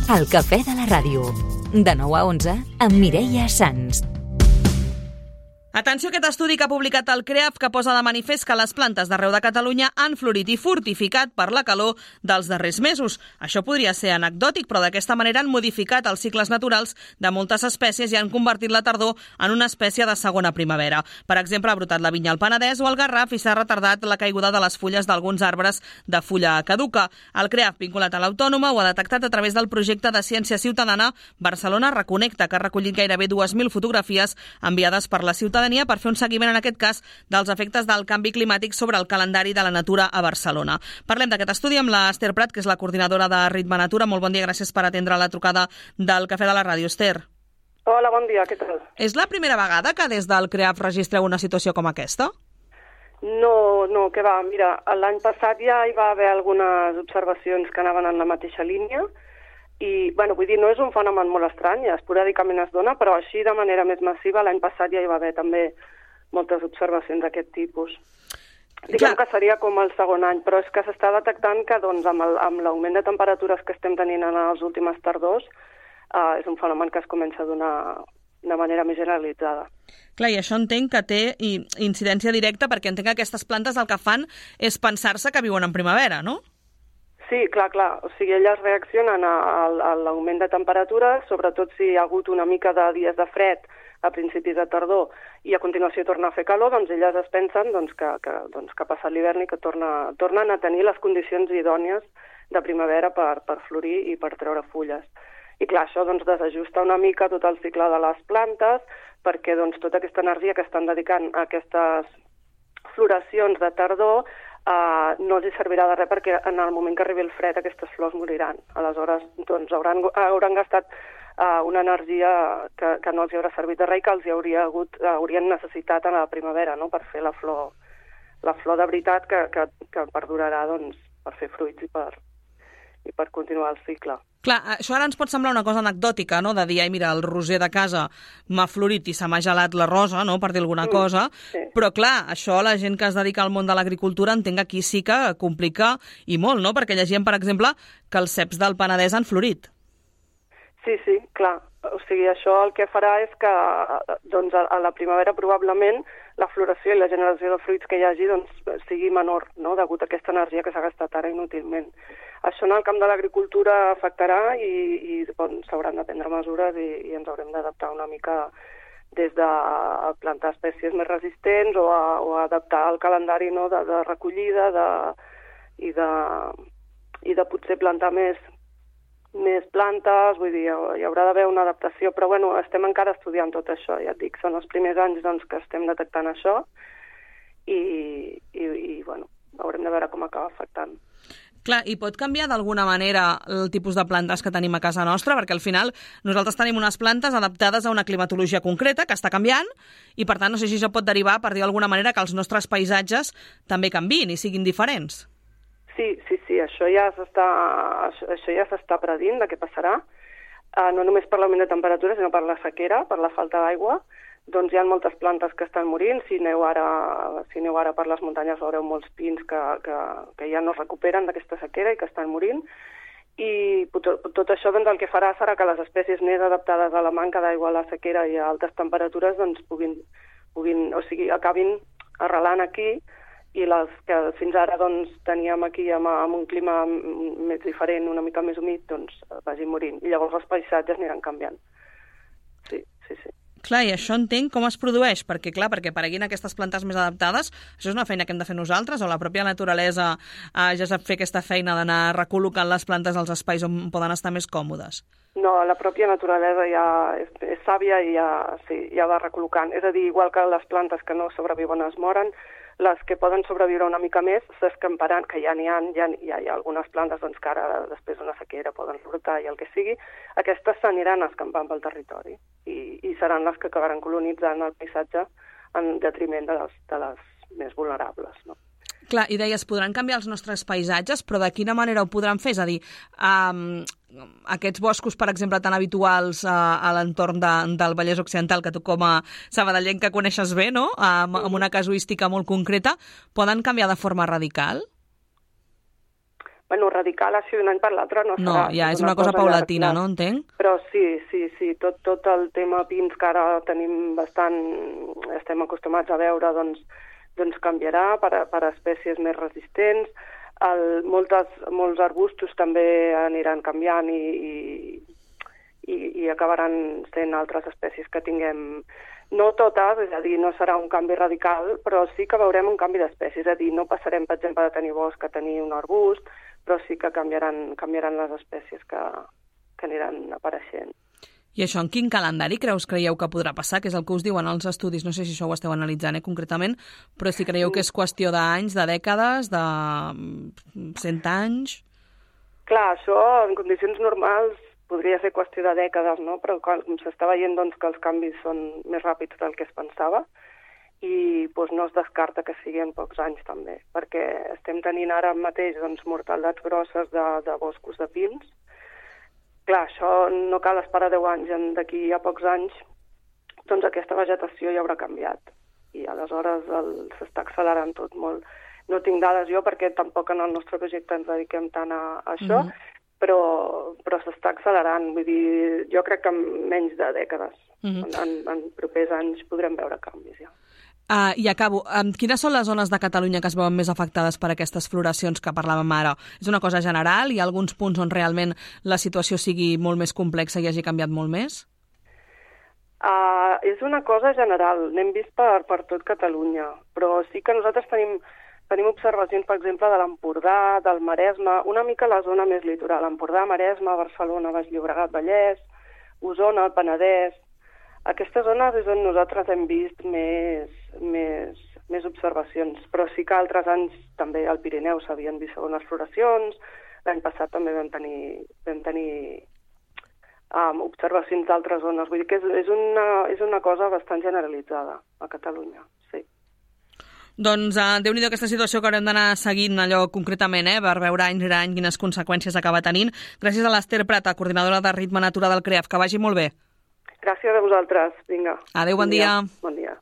El cafè de la ràdio. De 9 a 11 amb Mireia Sans. Atenció a aquest estudi que ha publicat el CREAF que posa de manifest que les plantes d'arreu de Catalunya han florit i fortificat per la calor dels darrers mesos. Això podria ser anecdòtic, però d'aquesta manera han modificat els cicles naturals de moltes espècies i han convertit la tardor en una espècie de segona primavera. Per exemple, ha brotat la vinya al Penedès o al Garraf i s'ha retardat la caiguda de les fulles d'alguns arbres de fulla caduca. El CREAF, vinculat a l'Autònoma, ho ha detectat a través del projecte de ciència ciutadana Barcelona Reconnecta, que ha recollit gairebé 2.000 fotografies enviades per la ciutadania per fer un seguiment, en aquest cas, dels efectes del canvi climàtic sobre el calendari de la natura a Barcelona. Parlem d'aquest estudi amb l'Ester Prat, que és la coordinadora de Ritme Natura. Molt bon dia, gràcies per atendre la trucada del Cafè de la Ràdio. Ester. Hola, bon dia, què tal? És la primera vegada que des del CREAF registreu una situació com aquesta? No, que va. Mira, l'any passat ja hi va haver algunes observacions que anaven en la mateixa línia i, vull dir, no és un fenomen molt estrany, esporàdicament es dona, però així de manera més massiva l'any passat ja hi va haver també moltes observacions d'aquest tipus. Diguem que seria com el segon any, però és que s'està detectant que doncs, amb l'augment de temperatures que estem tenint en les últimes tardors és un fenomen que es comença a donar de manera més generalitzada. Clar, i això entenc que té incidència directa perquè entenc que aquestes plantes el que fan és pensar-se que viuen en primavera, no? Sí, clar. O sigui, elles reaccionen a l'augment de temperatures, sobretot si hi ha hagut una mica de dies de fred a principis de tardor i a continuació torna a fer calor, doncs elles es pensen que ha passat l'hivern i que tornen a tenir les condicions idònies de primavera per florir i per treure fulles. I clar, això desajusta una mica tot el cicle de les plantes perquè tota aquesta energia que estan dedicant a aquestes floracions de tardor no els servirà de res perquè en el moment que arribi el fred aquestes flors moriran. Aleshores hauran gastat una energia que no els haurà servit de res i que els haurien necessitat a la primavera, no? Per fer la flor de veritat que perdurarà per fer fruits i per continuar el cicle. Clar, això ara ens pot semblar una cosa anecdòtica, no?, de dir, mira, el roser de casa m'ha florit i se m'ha gelat la rosa, no?, per dir alguna cosa, sí. Però clar, això la gent que es dedica al món de l'agricultura entenc que aquí sí que complica i molt, no?, perquè llegíem, per exemple, que els ceps del Penedès han florit. Sí, clar. O sigui, això el que farà és que a la primavera probablement la floració i la generació de fruits que hi hagi sigui menor, no?, degut a aquesta energia que s'ha gastat ara inútilment. Això en el camp de l'agricultura afectarà i s'hauran de prendre mesures i ens haurem d'adaptar una mica des de plantar espècies més resistents o a adaptar el calendari, no?, de recollida i de potser plantar més plantes, vull dir, hi haurà d'haver una adaptació, però estem encara estudiant tot això, ja et dic, són els primers anys que estem detectant això i haurem de veure com acaba afectant. Clar, i pot canviar d'alguna manera el tipus de plantes que tenim a casa nostra? Perquè al final nosaltres tenim unes plantes adaptades a una climatologia concreta que està canviant i, per tant, no sé si això pot derivar, per dir d'alguna manera, que els nostres paisatges també canviïn i siguin diferents. Sí, això ja s'està predint de què passarà, no només per l'augment de temperatura, sinó per la sequera, per la falta d'aigua. Doncs hi ha moltes plantes que estan morint. Si aneu ara per les muntanyes veureu molts pins que ja no es recuperen d'aquesta sequera i que estan morint. I tot això el que farà serà que les espècies més adaptades a la manca d'aigua, a la sequera i a altes temperatures acabin arrelant aquí, i les que fins ara teníem aquí amb un clima més diferent, una mica més humit, vagin morint. I llavors els paisatges aniran canviant. Sí. Clar, i això entenc com es produeix, perquè apareguin aquestes plantes més adaptades, això és una feina que hem de fer nosaltres, o la pròpia naturalesa ja sap fer aquesta feina d'anar recol·locant les plantes als espais on poden estar més còmodes? No, la pròpia naturalesa ja és sàvia i ja va recol·locant. És a dir, igual que les plantes que no sobreviuen es moren, les que poden sobreviure una mica més s'escamparan, que ja n'hi ha algunes plantes que ara després d'una sequera poden brotar i el que sigui, aquestes s'aniran escampant pel territori i seran les que acabaran colonitzant el paisatge en detriment de les més vulnerables, no? Clar, i deies, podran canviar els nostres paisatges, però de quina manera ho podran fer? És a dir, aquests boscos, per exemple, tan habituals a l'entorn del Vallès Occidental, que tu com a sabadellenc que coneixes bé, no?, amb una casuística molt concreta, poden canviar de forma radical? Bueno, radical així d'un any per l'altre no serà. No, ja és una cosa paulatina, no? Entenc? Però sí, tot el tema pins que ara tenim estem acostumats a veure, doncs canviarà per espècies més resistents. Molts arbustos també aniran canviant i acabaran sent altres espècies que tinguem. No totes, és a dir, no serà un canvi radical, però sí que veurem un canvi d'espècies. És a dir, no passarem, per exemple, de tenir bosc a tenir un arbust, però sí que canviaran les espècies que aniran apareixent. I això, en quin calendari creieu que podrà passar? Que és el que us diuen els estudis, no sé si això ho esteu analitzant concretament, però si creieu que és qüestió d'anys, de dècades, de 100 anys... Clar, això en condicions normals podria ser qüestió de dècades, no? Però com s'està veient doncs, que els canvis són més ràpids del que es pensava i doncs, no es descarta que sigui en pocs anys també, perquè estem tenint ara mateix doncs, mortalitats grosses de boscos de pins. Clar, això no cal esperar 10 anys, d'aquí a pocs anys doncs aquesta vegetació ja haurà canviat i aleshores s'està accelerant tot molt. No tinc dades jo perquè tampoc en el nostre projecte ens dediquem tant a això, però s'està accelerant. Vull dir, jo crec que en menys de dècades. En propers anys podrem veure canvis ja. I acabo. Quines són les zones de Catalunya que es veuen més afectades per aquestes floracions que parlàvem ara? És una cosa general? Hi ha alguns punts on realment la situació sigui molt més complexa i hagi canviat molt més? És una cosa general. N'hem vist per tot Catalunya, però sí que nosaltres tenim observacions, per exemple, de l'Empordà, del Maresme, una mica la zona més litoral, Empordà, Maresme, Barcelona, Baix Llobregat, Vallès, Osona, el Penedès. Aquestes zones és on nosaltres hem vist més observacions, però sí que altres anys també al Pirineu s'havien vist segones floracions, l'any passat també vam tenir observacions d'altres zones. Vull dir que és una cosa bastant generalitzada a Catalunya, sí. Doncs Déu-n'hi-do aquesta situació que haurem d'anar seguint allò concretament, per veure any rere any quines conseqüències acaba tenint. Gràcies a l'Ester Prata, coordinadora de Ritme Natura del CREAF. Que vagi molt bé. Gràcies a vosaltres. Vinga. Adéu, bon dia. Bon dia.